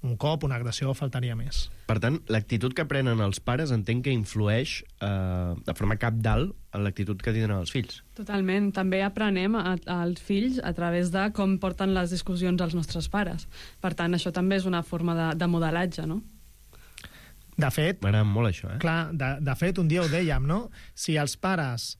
M: un cop, una agressió, faltaria més.
B: Per tant, l'actitud que prenen els pares entenc que influeix de forma cabdal en l'actitud que tindran els fills.
L: Totalment. També aprenem als fills a través de com porten les discussions els nostres pares. Per tant, això també és una forma de modelatge, no?
M: De fet...
B: M'agrada molt això,
M: Clar, de fet, un dia ho dèiem, no? Si els pares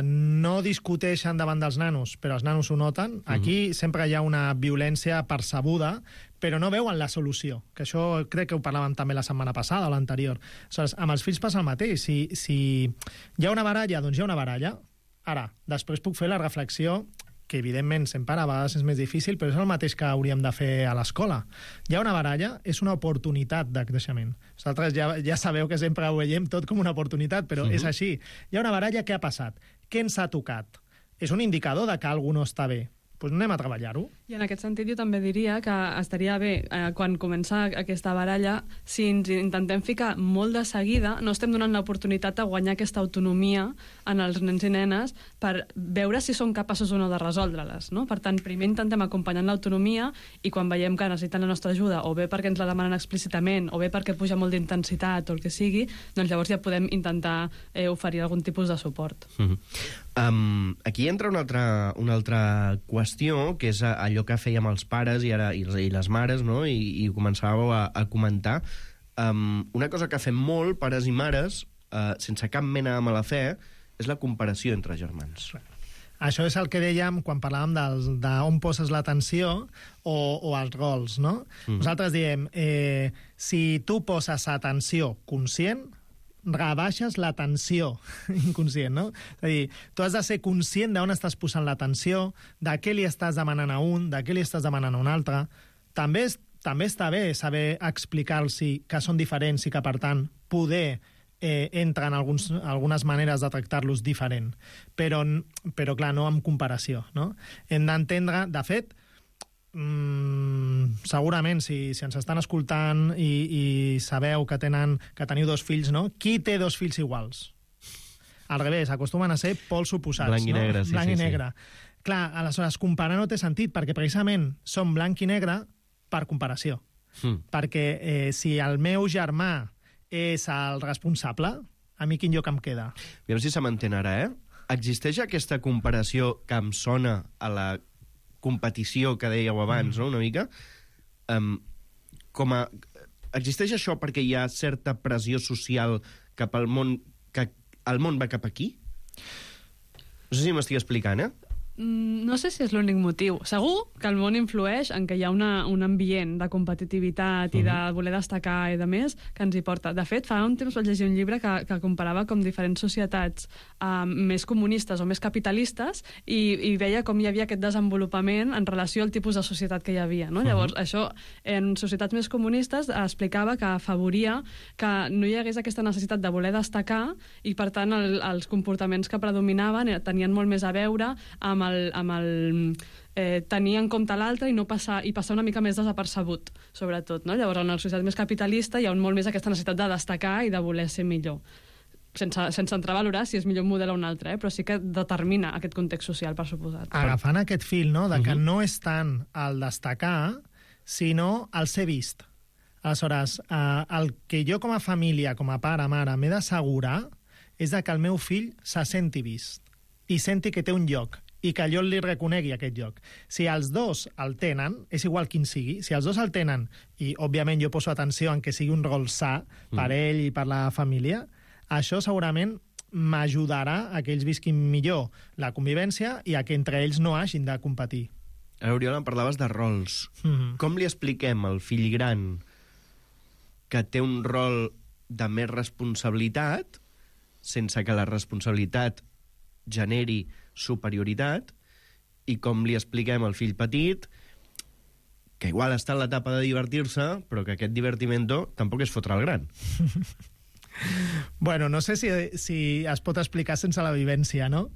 M: no discuteixen davant dels nanos, però els nanos ho noten, aquí sempre hi ha una violència percebuda, però no veuen la solució, que això crec que ho parlàvem també la setmana passada o l'anterior. Aleshores, amb els fills passa el mateix. Si hi ha una baralla, doncs hi ha una baralla. Ara, després puc fer la reflexió que evidentment sempre a vegades és més difícil, però és el mateix que hauríem de fer a l'escola. Hi ha una baralla, és una oportunitat de creixement. Vosaltres ja sabeu que sempre ho veiem tot com una oportunitat, però és així. Hi ha una baralla, què ha passat? Què ens ha tocat? És un indicador de que alguna no està bé. Doncs anem a treballar-ho.
L: I en aquest sentit jo també diria que estaria bé, quan comença aquesta baralla, si ens intentem ficar molt de seguida, no estem donant l'oportunitat de guanyar aquesta autonomia en els nens i nenes per veure si són capaços o no de resoldre-les, no? Per tant, primer intentem acompanyar l'autonomia i quan veiem que necessiten la nostra ajuda, o bé perquè ens la demanen explícitament, o bé perquè puja molt d'intensitat o el que sigui, doncs llavors ja podem intentar oferir algun tipus de suport.
B: Aquí entra una altra qüestió, que és allò que fèiem els pares i les mares, no? I començàveu a comentar. Una cosa que fem molt, pares i mares, sense cap mena de mala fe, és la comparació entre germans.
M: Això és el que dèiem quan parlàvem d'on poses l'atenció o els rols, no? Nosaltres diem, si tu poses atenció conscient, rebaixes l'atenció inconscient, no? És a dir, tu has de ser conscient d'on estàs posant l'atenció, de què li estàs demanant a un, de què li estàs demanant a un altre. També està bé saber explicar-los que són diferents i que, per tant, poder entren algunes maneres de tractar-los diferent. Però clar, no amb comparació, no? Hem d'entendre, de fet, segurament, si ens estan escoltant i sabeu que teniu 2 fills, no? Qui té 2 fills iguals? Al revés, acostumen a ser pols oposats.
B: Blanc i negre, sí.
M: Blanc i negre. Clar, aleshores, comparar no té sentit, perquè precisament són blanc i negre per comparació. Perquè si el meu germà és el responsable, a mi quin lloc em queda?
B: Aviam si se m'entén ara, Existeix aquesta comparació que em sona a la competició que dèieu abans, no?, una mica. Existeix això perquè hi ha certa pressió social cap al món, que el món va cap aquí? No sé si m'estic explicant,
L: No sé si és l'únic motiu. Segur que el món influeix en que hi ha un ambient de competitivitat i de voler destacar i de més que ens hi porta. De fet, fa un temps vaig llegir un llibre que comparava com diferents societats més comunistes o més capitalistes i veia com hi havia aquest desenvolupament en relació al tipus de societat que hi havia. No? Llavors, això en societats més comunistes explicava que afavoria que no hi hagués aquesta necessitat de voler destacar i, per tant, els comportaments que predominaven tenien molt més a veure amb tenir en compte l'altre i passar una mica més desapercebut, sobretot. No? Llavors, en una societat més capitalista hi ha molt més aquesta necessitat de destacar i de voler ser millor. Sense entrar a valorar si és millor un model o un altre, però sí que determina aquest context social, per suposat.
M: Agafant aquest fil, no?, de que no és tant el destacar, sinó el ser vist. Aleshores, el que jo com a família, com a pare, mare, m'he d'assegurar és que el meu fill se senti vist i senti que té un lloc i que jo li reconegui aquest lloc. Si els dos el tenen, és igual quin sigui, si els dos el tenen, i òbviament jo poso atenció en que sigui un rol sa per ell i per la família, això segurament m'ajudarà a que ells visquin millor la convivència i a que entre ells no hagin de competir.
B: Oriol, em parlaves de rols. Com li expliquem al fill gran que té un rol de més responsabilitat sense que la responsabilitat generi superioritat, i com li expliquem al fill petit que igual està en l'etapa de divertir-se, però que aquest divertimento tampoc és fotre el gran.
M: Bueno, no sé si es pot explicar sense la vivència, no?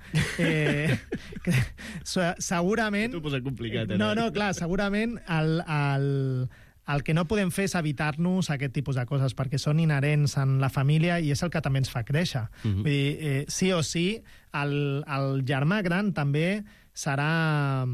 M: Segurament...
B: T'ho posa complicat,
M: No, clar, segurament el que no podem fer és evitar-nos aquest tipus de coses, perquè són inherents en la família i és el que també ens fa créixer. Vull dir, sí o sí, el germà gran també serà,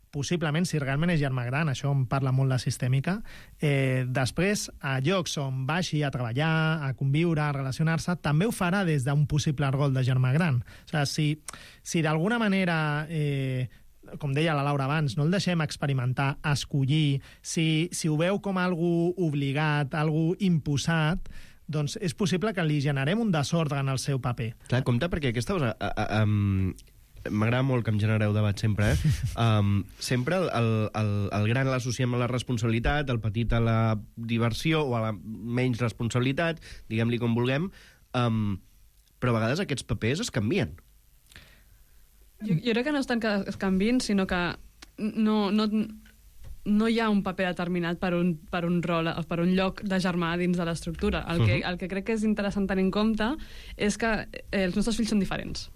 M: possiblement, si realment és germà gran, això em parla molt de sistèmica, després, a llocs on vagi a treballar, a conviure, a relacionar-se, també ho farà des d'un possible rol de germà gran. O sigui, si d'alguna manera... com deia la Laura abans, no el deixem experimentar, escollir, si ho veu com algo obligat, algo imposat, doncs és possible que li generem un desordre en el seu paper.
B: Clar, compte, perquè aquesta cosa... m'agrada molt que em genereu debat sempre, sempre el gran l'associem a la responsabilitat, el petit a la diversió o a la menys responsabilitat, diguem-li com vulguem, però a vegades aquests papers es canvien.
L: Jo crec que no és tant que es canvin, sinó que no hi ha un paper determinat per un rol, per un lloc de germà dins de l'estructura. El que crec que és interessant tenir en compte és que els nostres fills són diferents.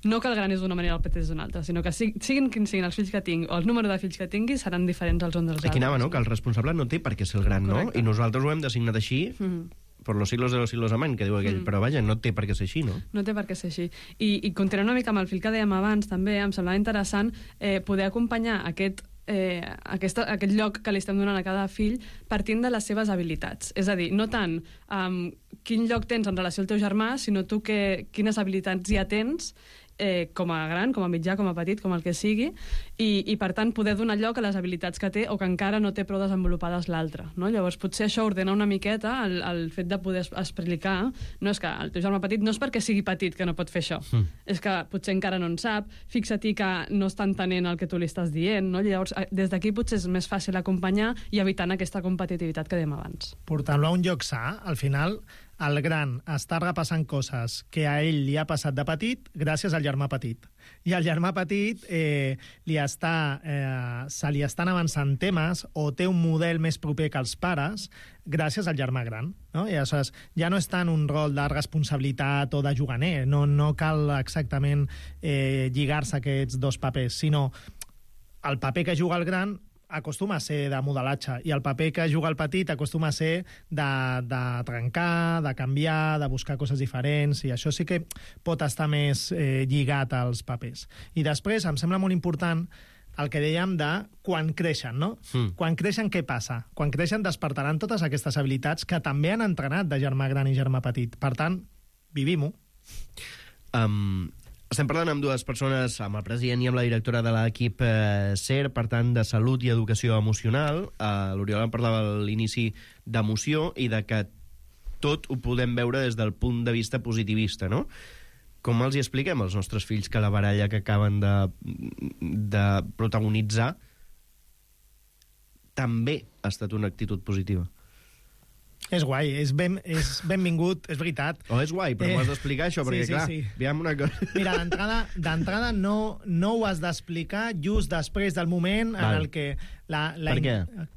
L: No que el gran és d'una manera i el petit és d'una altra, sinó que siguin quins siguin els fills que tinc o el número de fills que tingui, seran diferents els uns dels altres.
B: Aquí anava, no?, que el responsable no té per què ser el gran, no? I nosaltres ho hem designat així... por los siglos de los siglos amén, que diu aquell, però vaja, no té per què ser així, no?
L: No té per què ser així. I continuant una mica amb el fil que dèiem abans, també em semblava interessant poder acompanyar aquest lloc que li estem donant a cada fill partint de les seves habilitats. És a dir, no tant quin lloc tens en relació al teu germà, sinó tu quines habilitats ja tens com a gran, com a mitjà, com a petit, com el que sigui, i per tant poder donar lloc a les habilitats que té o que encara no té prou desenvolupades l'altre. No? Llavors potser això ordena una miqueta el fet de poder explicar, no és que el teu germà petit no és perquè sigui petit que no pot fer això, és que potser encara no en sap, fixa-t'hi que no està entenent el que tu li estàs dient, no? Llavors des d'aquí potser és més fàcil acompanyar i evitant aquesta competitivitat que dèiem abans.
M: Portant-lo a un lloc sa, al final el gran està repassant coses que a ell li ha passat de petit gràcies al germà petit. I al germà petit se li estan avançant temes o té un model més proper que els pares gràcies al germà gran. No? I aleshores ja no és tant un rol de responsabilitat o de juganer, no cal exactament lligar-se aquests dos papers, sinó el paper que juga el gran acostuma a ser de modelatge i el paper que juga el petit acostuma a ser de trencar, de canviar, de buscar coses diferents, i això sí que pot estar més lligat als papers. I després em sembla molt important el que dèiem de quan creixen, no? Quan creixen, què passa? Quan creixen despertaran totes aquestes habilitats que també han entrenat de germà gran i germà petit. Per tant, vivim-ho.
B: Estem parlant amb dues persones, amb el president i amb la directora de l'equip SER, per tant, de salut i educació emocional. L'Oriol en parlava a l'inici d'emoció i de que tot ho podem veure des del punt de vista positivista, no? Com els hi expliquem als nostres fills que la baralla que acaben de protagonitzar també ha estat una actitud positiva?
M: És guai, és benvingut, és veritat.
B: És guai, però m'ho has d'explicar això, perquè clar, veiem una cosa...
M: Mira, d'entrada no ho has d'explicar just després del moment en el que...
B: Per què?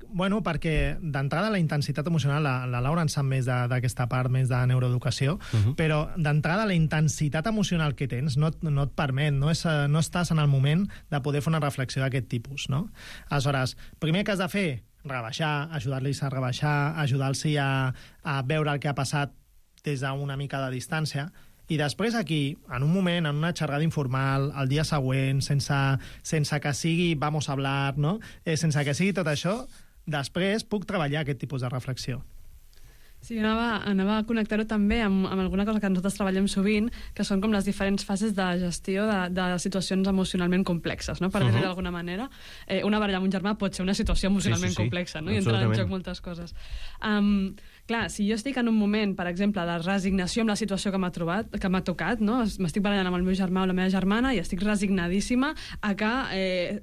M: Bueno, perquè d'entrada la intensitat emocional, la Laura en sap més d'aquesta part, més de neuroeducació, però d'entrada la intensitat emocional que tens no et permet, no estàs en el moment de poder fer una reflexió d'aquest tipus, no? Aleshores, primer que has de fer, rebaixar, ajudar-los a rebaixar, ajudar-los a veure el que ha passat des d'una mica de distància, i després aquí, en un moment, en una xerrada informal, el dia següent, sense que sigui vamos a hablar, no? Sense que sigui tot això, després puc treballar aquest tipus de reflexió.
L: Sí, anava a connectar-ho també amb alguna cosa que nosaltres treballem sovint, que són com les diferents fases de gestió de situacions emocionalment complexes, no? Per dir-ho d'alguna manera. Una baralla amb un germà pot ser una situació emocionalment complexa, no? I entrar en joc moltes coses. Clar, si jo estic en un moment, per exemple, de resignació amb la situació que m'ha tocat, no? M'estic barallant amb el meu germà o la meva germana i estic resignadíssima a que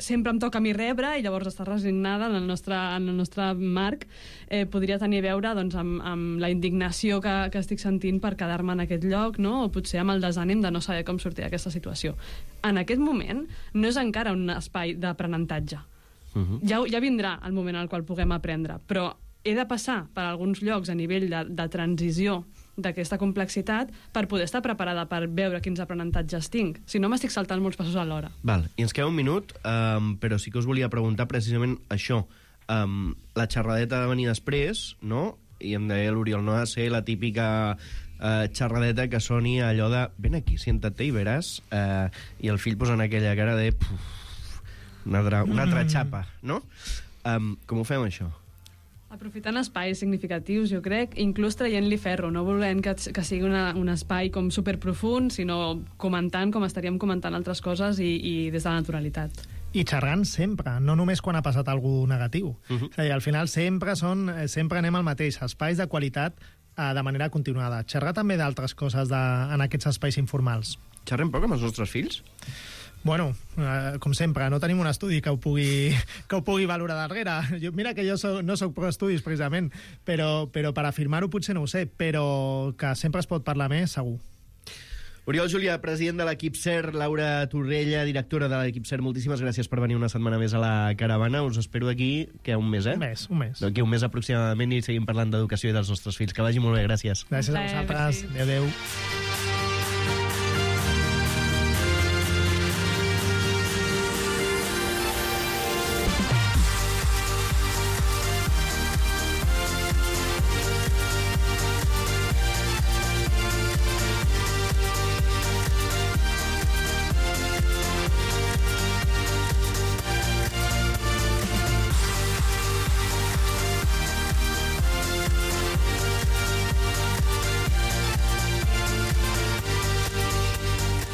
L: sempre em toca a mi rebre, i llavors estar resignada en el nostre marc podria tenir a veure doncs, amb la indignació que estic sentint per quedar-me en aquest lloc, no? O potser amb el desànim de no saber com sortir d'aquesta situació. En aquest moment no és encara un espai d'aprenentatge. Ja vindrà el moment en el qual puguem aprendre, però he de passar per alguns llocs a nivell de transició d'aquesta complexitat per poder estar preparada per veure quins aprenentatges tinc. Si no, m'estic saltant molts passos alhora.
B: Val. I ens queda un minut, però sí que us volia preguntar precisament això. La xerradeta ha de venir després, no? I em deia l'Oriol, no ha de ser la típica xerradeta que soni allò de ven aquí, siéntate i veràs, i el fill posant aquella cara de una altra xapa, no? Com ho fem, això?
L: Aprofitant espais significatius, jo crec, inclús traient-li ferro, no volent que sigui un espai com superprofund, sinó comentant com estaríem comentant altres coses i des de la naturalitat.
M: I xerrant sempre, no només quan ha passat alguna negatiu. És a dir, al final sempre anem al mateix, espais de qualitat de manera continuada. Xerrar també d'altres coses en aquests espais informals.
B: Xerrem poc amb els nostres fills?
M: Bueno, com sempre, no tenim un estudi que ho pugui valorar darrere. Mira que jo no soc pro estudis, precisament, però per afirmar-ho potser no ho sé, però que sempre es pot parlar més, segur.
B: Oriol Julià, president de l'equip SER, Laura Torrella, directora de l'equip SER, moltíssimes gràcies per venir una setmana més a la caravana. Us espero d'aquí, un mes,
M: Un mes.
B: D'aquí un mes aproximadament i seguim parlant d'educació i dels nostres fills. Que vagi molt bé, gràcies.
M: Gràcies a vosaltres. Adéu.